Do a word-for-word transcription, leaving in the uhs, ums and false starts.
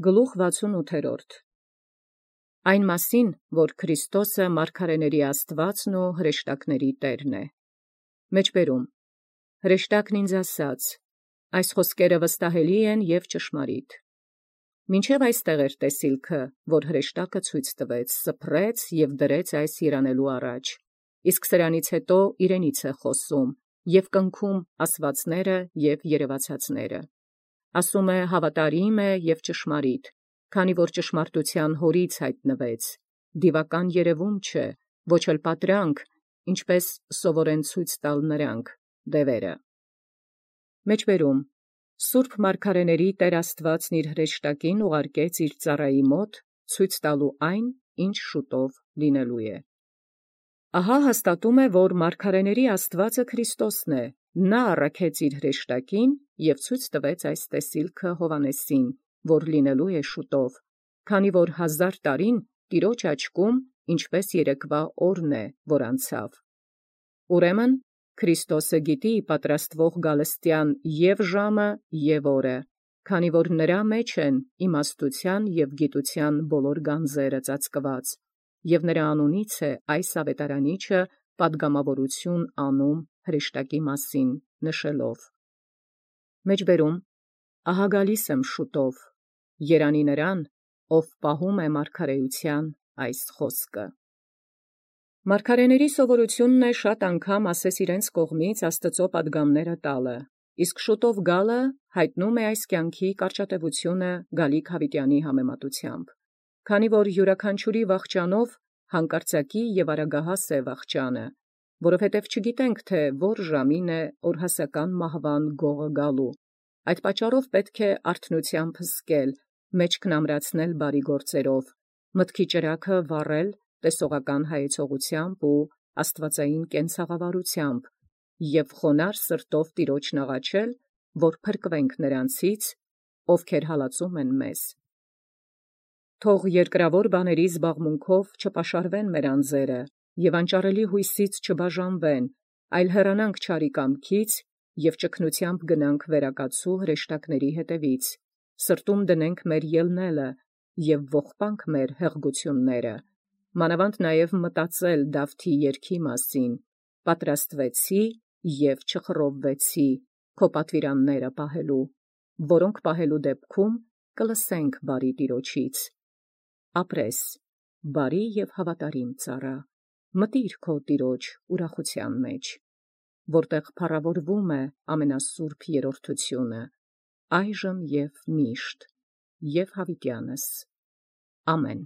Գլուխ վաթսունութերորդ. Այն մասին, որ Քրիստոսը մարգարեաց Աստուածն և հրեշտակաց Տէրն է։ Մեջբերում. հրեշտակն ինձ ասաց. այս խոսքերը վստահելի են և ճշմարիտ։ Մինչև այստեղ էր տեսիլքը, որ հրեշտակը ցույց տվեց, սփռեց և դրեց այս երանելու առաջ, իսկ սրանից հետո իրենից է խոսում և կնքում ասվածները և երևացածները։ Ասում է հավատարիմ է և ճշմարիտ, քանի որ ճշմարտութեան Հօրից յայտնվեց, դիւական երևում չէ, ոչ էլ պատրանք, ինչպէս սովորեն ցույց տալ նոցանք դևերը։ Մեջբերում. Սուրբ մարգարեաց Տէր Աստուածն իր հրեշտակին ուղարկեց իր ծառայի մոտ, ցույց տալու այն, ինչ շուտով լինելու է։ Ահա հաստատում է, որ մարգարեաց Աստուածը Քրիստոսն է, նա առաքեց իր հրեշտակին և ցույց տվեց այս տեսիլքը Հովհաննեսին, որ լինելու է շուտով, քանի որ հազար տարին Տեառն աչքում ինչպէս երեկվա օրն է, որ անցավ։ Ուրեմն Քրիստոսը գիտի պատրաստվող գալստեան և ժամը և օրը, քանի որ նրա մեջ են իմաստութեան և գիտութեան բոլոր գանձերը ծածկված, և նրա անունից է այս աւետարանիչը պատգամաւորութիւն անում հրեշտակի մասին նշելով. Մեջբերում. Ահա գալիս եմ շուտով, երանի նրան, ով պահում է մարգարէութեան այս խոսքը։ Մարգարեաց սովորութիւնն է շատ անգամ ասես իրենց կողմից Աստուծոյ պատգամացն տալը, իսկ շուտով գալը յայտնում է այս կյանքի կարճատևութիւնը գալիք յաւիտեանի համեմատութեամբ, քանի որ յիւրաքանչիւրի վախճանով հանկարծակի և արագահաս է վախճանը, որովհետև չգիտենք թէ ո՛ր ժամին է օրհասական մահվան գողը գալու, այդ պատճառով պետք է արթնութեամբ հսկել, մեջքն ամրացնել բարի գործովք, մտքի ճրագը վառել տեսողական հայեցողութեամբ և աստուածային կենցաղավարութեամբ, և խոնարհ սրտով Տեառն աղաչել, որ փրկվենք նոցանցից, ովքեր հալածում են մեզ։ Թող երկրաւոր բաներու զբաղմունքով չպաշարվեն մեր անձերը, և անճարելի յուսոյց չբաժանվեն, այլ հեռանանք չարի կամքից և ճգնութեամբ գնանք վերակացուս հրեշտակաց ետևից, սրտում դնենք մեր ելնելը և ողբանք մեր հեղգութիւնսն, մանաւանդ նաև մտածել Դաւթի երգի մասին. «Պատրաստվեցի և չխռովվեցի քո պատուիրանացն պահելու, որոնք պահելու դեպքում կլսենք բարի Տեառնից։ Ապրես, բարի և հավատարիմ ծառայ, մտիր քո Տեառն ուրախութեան մեջ, որտեղ փառաւորվում է ամենասուրբ երրորդութիւնը, այժմ և միշտ և յաւիտեանս. ամեն։